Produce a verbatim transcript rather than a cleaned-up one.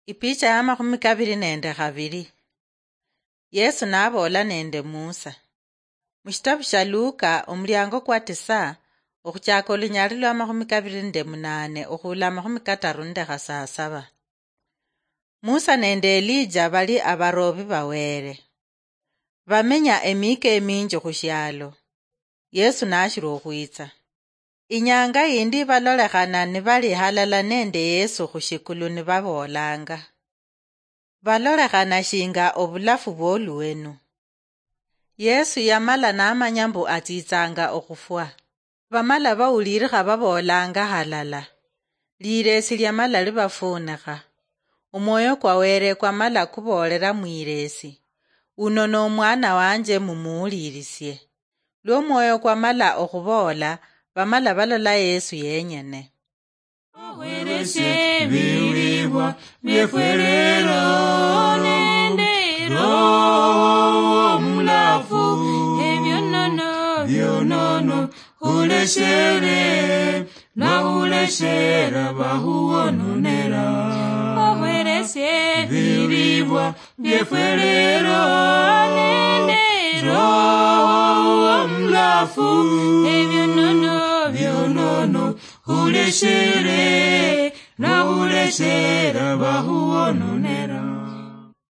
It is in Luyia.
Ipicha ya makhumi kabiri nende khabiri. Yesu naboola nende Musa. Mushitabu sha Luka, omuliango kwa tisa, okhuchaka olunyali lwa makhumi kabiri nende munane okhula makhumi kataru nende khasasaba. Musa nende Elija bali abaroobi ba Wele. Bamenya emiika eminji khushialo. Yesu nashili okhwitsa. Inyanga yindi balolekhana nibali halala nende Yesu khushikulu nibaboolanga. Balolekhana shinga obulafu bwoluwenu. Yesu yamala namanya mbu atsitsanga okhufwa. Bamala bawulirikha baboolanga halala. Liresi lyamala libafuunikha. Omwoyo kwa Wele kwamala kuboolela mwiresi, "Uno nomwana wanje mumuwulirisie." Lwo omwoyo kwamala okhuboola, bamala balola Yesu yenyene. Okhweresie ebilibwa biefwe lero nende Roho Omulafu, ebionono, bionono, khuleshere, nakhuleshera bakhuwononera. Okhweresie ebilibwa biefwe lero nende Roho Omulafu, ebionono, bionono, khuleshere, nakhuleshera bakhuwononera.